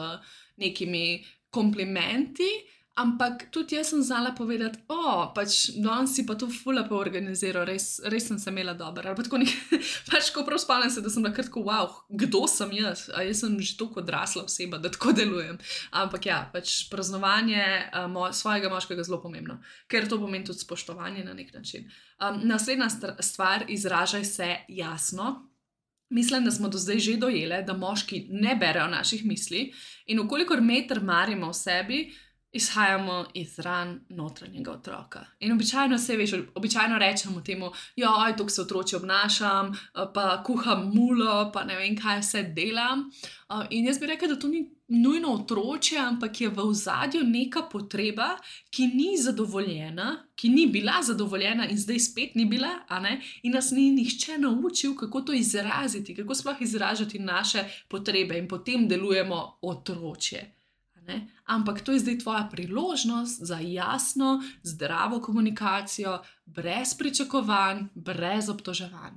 nekimi komplimenti, ampak tudi jaz sem znala povedati, o, pač danes si pa to ful lepo organiziral, res, res sem se imela dobro. Ali pa tako nekaj, pač ko prav spomnim se, da sem bila kar tako, wow, kdo sem jaz? A jaz sem že toliko odrasla oseba, da tako delujem. Ampak ja, pač praznovanje uh, mo svojega moškega zelo pomembno, ker to pomeni tudi spoštovanje na nek način. Um, naslednja stvar, izražaj se jasno. Mislim, da smo do zdaj že dojele, da moški ne berejo naših misli in ukolikor me trmarimo v sebi, izhajamo iz ran notranjega otroka. In običajno se veš, običajno rečemo temu, joj, tukaj se otroči obnašam, pa kuham mulo, pa ne vem, kaj vse delam. In jaz bi rekla, da to ni nujno otroče, ampak je v ozadju neka potreba, ki ni zadovoljena, ki ni bila zadovoljena in zdaj spet ni bila, a ne? In nas ni nihče naučil, kako to izraziti, kako sploh izražati naše potrebe in potem delujemo otročje. Ne? Ampak to je zdaj tvoja priložnost za jasno, zdravo komunikacijo, brez pričakovanj, brez obtoževanj.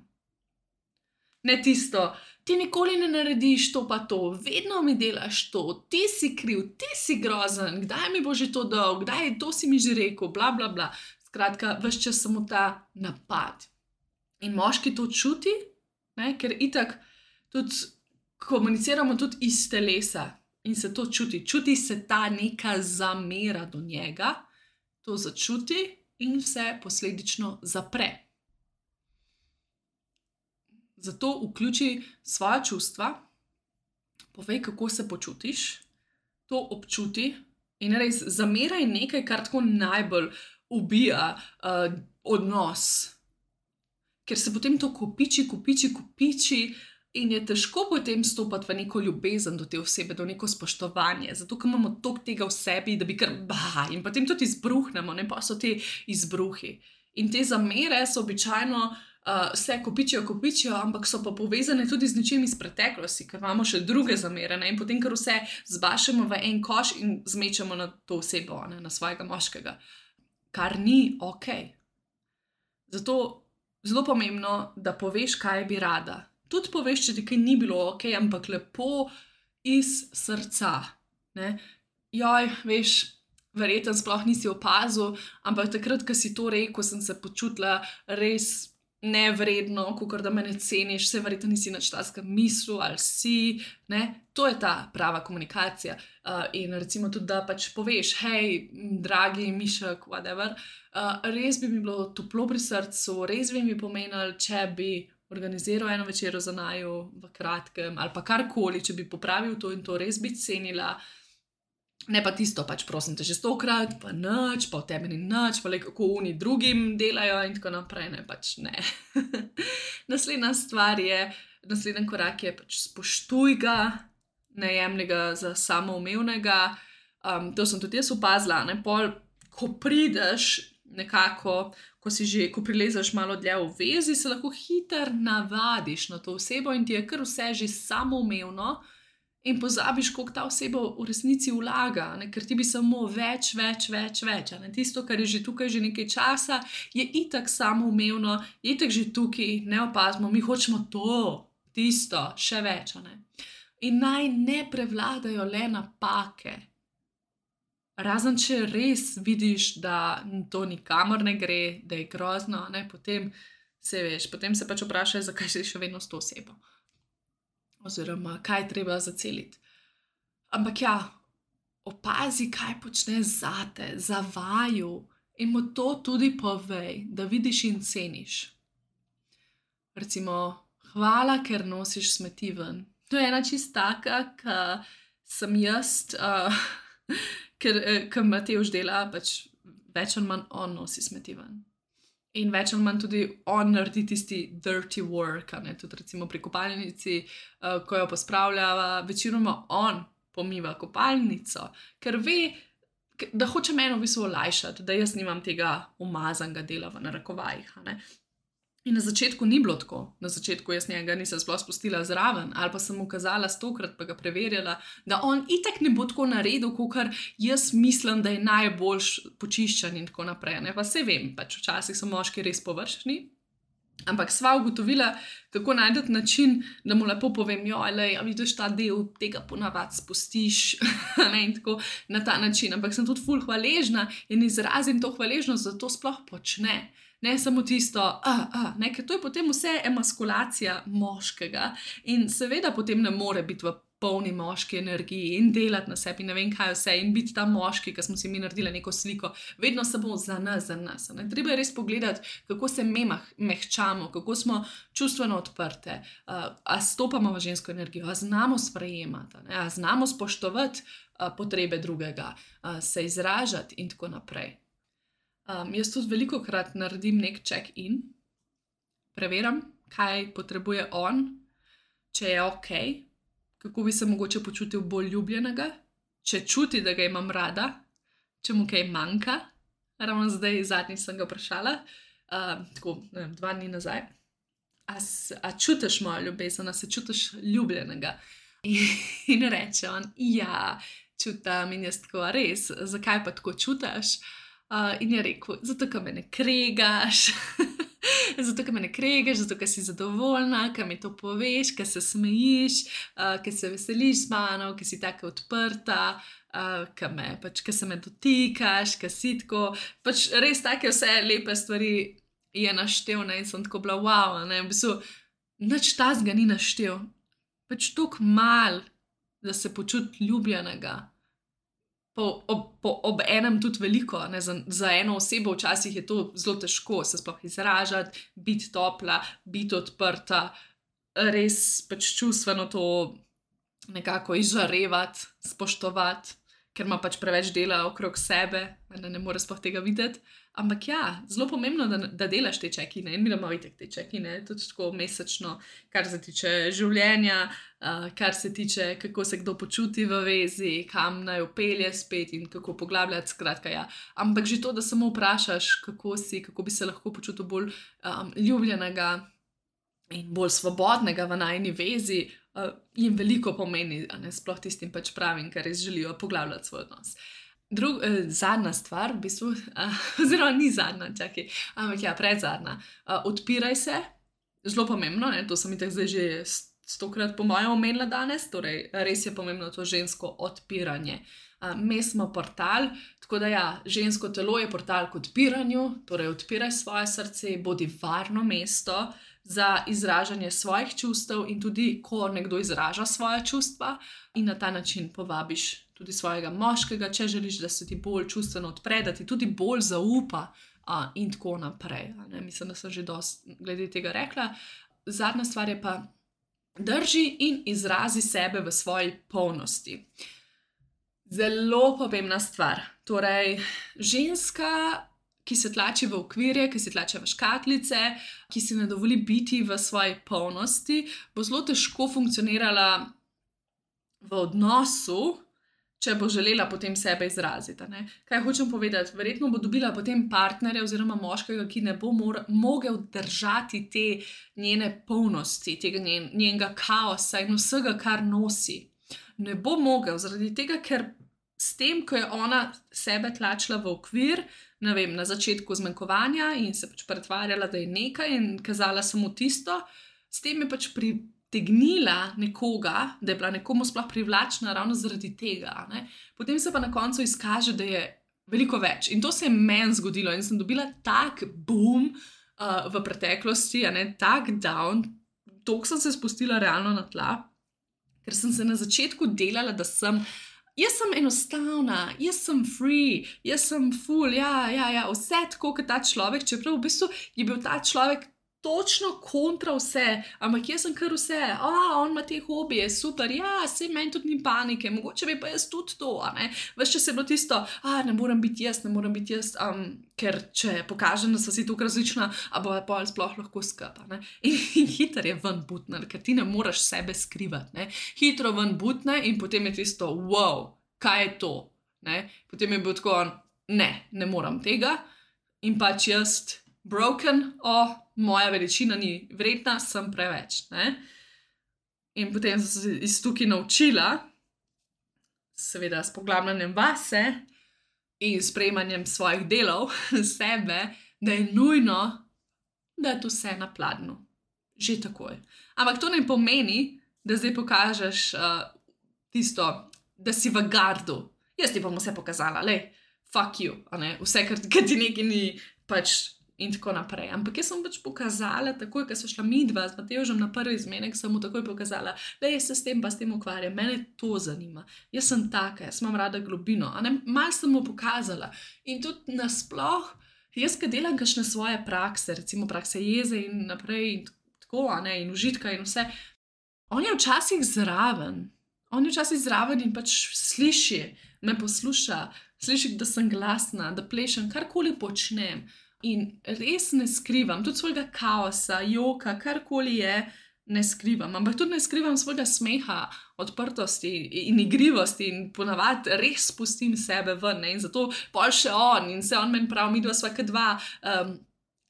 Ne tisto, ti nikoli ne narediš to pa to, vedno mi delaš to, ti si kriv, ti si grozen, kdaj mi bo že to dal, kdaj to si mi že rekel, bla bla bla. Skratka, ves čas samo ta napad. In moški to čuti, ne? Ker itak tudi komuniciramo tudi iz telesa. In se to čuti, čuti se ta neka zamera do njega, to začuti in se posledično zapre. Zato vključi svoja čustva, povej, kako se počutiš, to občuti in res zamera je nekaj, kar tako najbolj ubija uh, odnos. Ker se potem to kopiči, kopiči, kopiči, in je težko potem stopati v neko ljubezen do te osebe, do neko spoštovanje, zato ker imamo toliko tega v sebi, da bi kar bah, in potem tudi izbruhnemo, ne pa so te izbruhi. In te zamere so običajno uh, se kopičijo, kopičijo, ampak so pa povezane tudi z nečim iz preteklosti, ker imamo še druge zamere, ne? In potem kar vse zbašemo v en koš in zmečemo na to osebo, ne? Na svojega moškega, kar ni ok. Zato zelo pomembno, da poveš, kaj bi rada. Tudi poveš, če ti kaj ni bilo ok, ampak lepo iz srca. Ne? Joj, veš, verjetno sploh nisi opazil, ampak takrat, ko si to rekel, sem se počutila res nevredno, kakor da me ne ceniš, vse verjetno nisi nič takega mislil ali si. Ne? To je ta prava komunikacija. Uh, in recimo tudi, da pač poveš, hej, dragi Mišek, whatever, uh, res bi mi bilo toplo pri srcu, res bi mi pomenilo, če bi organiziral eno večero za naju v kratkem ali pa karkoli, če bi popravil to in to, res bi cenila. Ne pa tisto, pač prosim te že stokrat, pa nič, pa v tebi ni nič, pa le kako oni drugim delajo in tako naprej, ne, pač ne. Naslednja stvar je, naslednji korak je pač spoštuj ga, ne jemlji ga za samoumevnega. Um, to sem tudi jaz opazila, ne, pol, ko prideš nekako, ko si že, ko prilezeš malo dlje v vezi, se lahko hitro navadiš na to osebo in ti je kar vse že samoumevno in pozabiš, koliko ta oseba v resnici vlaga, ne? Ker ti bi samo več, več, več, več. Ne? Tisto, kar je že tukaj že nekaj časa, je itak samoumevno, je itak že tukaj, ne opazimo, mi hočemo to, tisto, še več. Ne? In naj ne prevladajo le napake. Razen če res vidiš, da to nikamor ne gre, da je grozno, ne? Potem se veš, potem se pač vprašaj, zakaj si še vedno s to osebo. Oziroma, kaj je treba zaceliti. Ampak ja, opazi, kaj počne zate, za vaju in mu to tudi povej, da vidiš in ceniš. Recimo, hvala, ker nosiš smeti ven. To je ena čist taka, ki sem jaz, uh, ker, ker Matevž dela, pač več ali manj on nosi smeti ven. In več ali manj tudi on naredi tisti dirty work, ne? Tudi recimo pri kopalnici, uh, ko jo pospravljava, večinoma on pomiva kopalnico, ker ve, da hoče meni v bistvu olajšati, da jaz nimam tega umazanega dela v narekovajih. Ne? In na začetku ni bilo tako. Na začetku jaz njega nisem sploh spustila zraven, ali pa sem mu kazala stokrat, pa ga preverjala, da on itak ne bo tako naredil, kakor jaz mislim, da je najboljš počiščen in tako naprej. Ne? Pa se vem, pač včasih so moški res površni, ampak sva ugotovila, kako najdeti način, da mu lepo povem, jo, lej, a vidiš ta del, tega ponavad spustiš, ne, in tako na ta način. Ampak sem tudi ful hvaležna in izrazim to hvaležnost, da to sploh počne. Ne samo tisto, a, a, ne, ker to je potem vse emaskulacija moškega in seveda potem ne more biti v polni moški energiji in delati na sebi, ne vem kaj vse, in biti ta moški, ki smo si mi naredili neko sliko, vedno samo za nas, za nas. Ne. Treba je res pogledati, kako se mi mehčamo, kako smo čustveno odprte, a, a stopamo v žensko energijo, a znamo sprejemati, ne, a znamo spoštovati a, potrebe drugega, a, se izražati in tako naprej. Um, jaz tudi veliko krat naredim nek check-in, preverim, kaj potrebuje on, če je ok, kako bi se mogoče počutil bolj ljubljenega, če čuti, da ga imam rada, če mu kaj manjka. Ravno zdaj zadnjič sem ga vprašala, uh, tako ne vem, dva dni nazaj, a, a čutiš mojo ljubezen, a se čutiš ljubljenega? In, in reče on, ja, čutam, in jaz tako, res, zakaj pa tako čutiš? Uh, in je rekel, zato, ker me ne kregaš, zato, ker me ne kregaš, zato, ker si zadovoljna, ker mi to poveš, ker se smejiš, uh, ker se veseliš z mano, ker si tako odprta, uh, ker, me, pač, ker se me dotikaš, ker si tako, pač res take vse lepe stvari je naštel, ne, in sem tako bila wow, ne, v bistvu nič tazga ni naštel, pač toliko mal, da se počuti ljubljenega. Po, ob, po, ob enem tudi veliko, ne, za, za eno osebo včasih je to zelo težko se sploh izražati, biti topla, biti odprta, res pač čustveno to nekako izžarevati, spoštovati, ker ima pač preveč dela okrog sebe, da ne more sploh tega videti. Ampak ja, zelo pomembno, da, da delaš te check-ine in mi damo itek te check-ine, tudi tako mesečno, kar se tiče življenja, uh, kar se tiče, kako se kdo počuti v vezi, kam naj upelje spet in kako poglabljati, skratka ja. Ampak že to, da samo vprašaš, kako si, kako bi se lahko počutil bolj um, ljubljenega in bolj svobodnega v najini vezi, uh, jim veliko pomeni, a ne sploh tistim pač pravim, ker res želijo poglabljati svoj odnos. Drug, eh, zadnja stvar, v bistvu, uh, oziroma ni zadnja, čakaj, ampak ja, predzadnja. Uh, odpiraj se, zelo pomembno, ne, to sem itak zdaj že stokrat po mojem omenila danes, torej res je pomembno to žensko odpiranje. Uh, mi smo portal, tako da ja, žensko telo je portal k odpiranju, torej odpiraj svoje srce, bodi varno mesto za izražanje svojih čustev in tudi, ko nekdo izraža svoje čustva in na ta način povabiš tudi svojega moškega, če želiš, da se ti bolj čustveno odpre, da ti tudi bolj zaupa a, in tako naprej. Ne? Mislim, da sem že dosti glede tega rekla. Zadnja stvar je pa, drži in izrazi sebe v svoji polnosti. Zelo pomembna stvar. Torej, ženska, ki se tlači v okvirje, ki se tlači v škatlice, ki si ne dovoli biti v svoji polnosti, bo zelo težko funkcionirala v odnosu, če bo želela potem sebe izraziti. Ne? Kaj hočem povedati? Verjetno bo dobila potem partnerja oziroma moškega, ki ne bo mora, mogel držati te njene polnosti, tega njen, njenega kaosa in vsega, kar nosi. ne bo mogel, zaradi tega, ker s tem, ko je ona sebe tlačila v okvir, ne vem, na začetku zmanjkovanja in se pač pretvarjala, da je nekaj in kazala samo tisto, s tem je pač pritegnila nekoga, da je bila nekomu sploh privlačna ravno zaradi tega. Ne? Potem se pa na koncu izkaže, da je veliko več. In to se je meni zgodilo in sem dobila tak boom uh, v preteklosti, a ne tak down, toliko sem se spustila realno na tla, ker sem se na začetku delala, da sem Jaz sem enostavna, jaz sem free, jaz sem full, ja, ja, ja, vse tako kot ta človek, čeprav v bistvu je bil ta človek točno kontra vse, ampak jaz sem kar vse, a, on ima te hobije, super, ja, sej meni tudi ni panike, mogoče bi pa jaz tudi to, a ne, ves čas je bilo tisto, a, ne moram biti jaz, ne moram biti jaz, um, ker če pokažem, da so si tukaj različna, a bo pa sploh lahko skupa, ne, in, in hitro je ven butne, ker ti ne moraš sebe skrivati, ne, hitro ven butne in potem je tisto, wow, kaj je to, ne, potem je bil tako, ne, ne moram tega in pač jaz broken, o, oh, moja veličina ni vredna, sem preveč, ne. In potem sem se iz tukaj naučila, seveda s poglabljanjem vase in sprejemanjem svojih delov sebe, da je nujno, da je to vse na pladnju. Že takoj. Ampak to ne pomeni, da zdaj pokažeš uh, tisto, da si v gardu. Jaz ti bom vse pokazala, lej, fuck you, a ne, vse, kar, kar ti nekaj ni, pač, in tako naprej. Ampak jaz sem pač pokazala, takoj, ko so šla midva z Matevžem na prvi zmenek, sem mu takoj pokazala, da jaz se s tem pa s tem ukvarjam, mene to zanima. Jaz sem taka, jaz imam rada globino, a ne, malo sem mu pokazala. In tudi nasploh, jaz, ko delam kakšne svoje prakse, recimo prakse jeze in naprej in tako, a ne, in užitka in vse, on je včasih zraven. On je včasih zraven in pač sliši, me posluša, sliši, da sem glasna, da plešem, karkoli počnem. In res ne skrivam, tudi svojega kaosa, joka, karkoli je, ne skrivam. Ampak tudi ne skrivam svojega smeha, odprtosti in igrivosti in ponavadi res spustim sebe ven. Ne? In zato pol še on in se on meni prav, midva sva kot dva, um,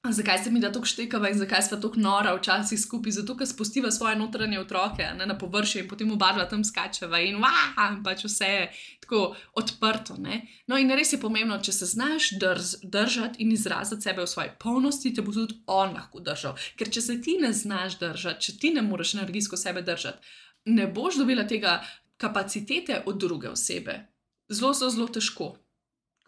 zakaj se mi da toliko štekava in zakaj sva toliko nora včasih skupaj, zato ker spustiva svoje notranje otroke, ne, na površje in potem oba dva tam skačeva in vah, pač vse je tako odprto. Ne. No in res je pomembno, če se znaš drž, držati in izraziti sebe v svoji polnosti, te bo tudi on lahko držal. Ker če se ti ne znaš držati, če ti ne moreš energijsko sebe držati, ne boš dobila tega kapacitete od druge osebe. Zelo, zelo, zelo težko.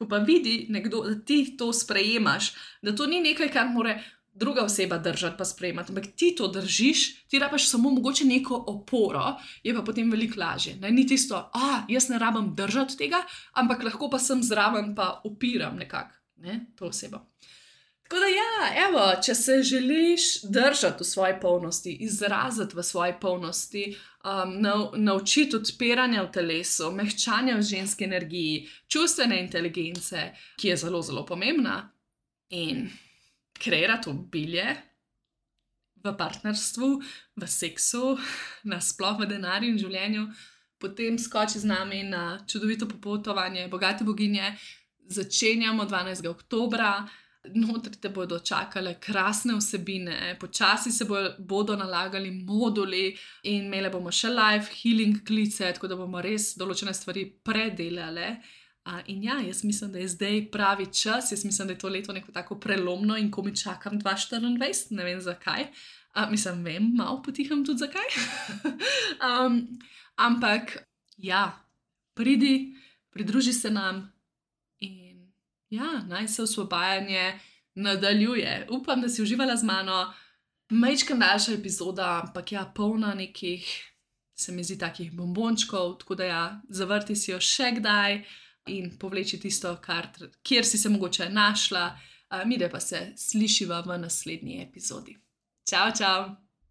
Ko pa vidi nekdo, da ti to sprejemaš, da to ni nekaj, kar mora druga oseba držati pa sprejemati, ampak ti to držiš, ti rabaš samo mogoče neko oporo, je pa potem veliko lažje. Ne? Ni tisto, a, jaz ne rabam držati tega, ampak lahko pa sem zraven pa opiram nekako, ne, to osebo. Tako da ja, evo, če se želiš držati v svoji polnosti, izraziti v svoji polnosti, um, nau, naučiti odpiranja v telesu, mehčanja v ženski energiji, čustvene inteligence, ki je zelo, zelo pomembna, in kreirati obilje v partnerstvu, v seksu, nasploh v denarju in življenju, potem skoči z nami na čudovito popotovanje Bogate boginje. Začenjamo dvanajstega oktobra. Notri te bodo čakale krasne vsebine, počasi se bo, bodo nalagali moduli in imeli bomo še live healing klice, tako da bomo res določene stvari predelale. Uh, in ja, jaz mislim, da je zdaj pravi čas, jaz mislim, da je to leto neko tako prelomno in ko mi čakam dva tisoč štiriindvajset, ne vem zakaj. Uh, mislim, vem, malo potiham tudi zakaj. um, ampak ja, pridi, pridruži se nam. Ja, naj se osvobajanje nadaljuje. Upam, da si uživala z mano. Majčkam daljša epizoda, ampak ja, polna nekih, se mi zdi, takih bombončkov, tako da ja, zavrti si jo še kdaj in povleči tisto, kar, kjer si se mogoče našla. Mi da pa se slišiva v naslednji epizodi. Čau, čau!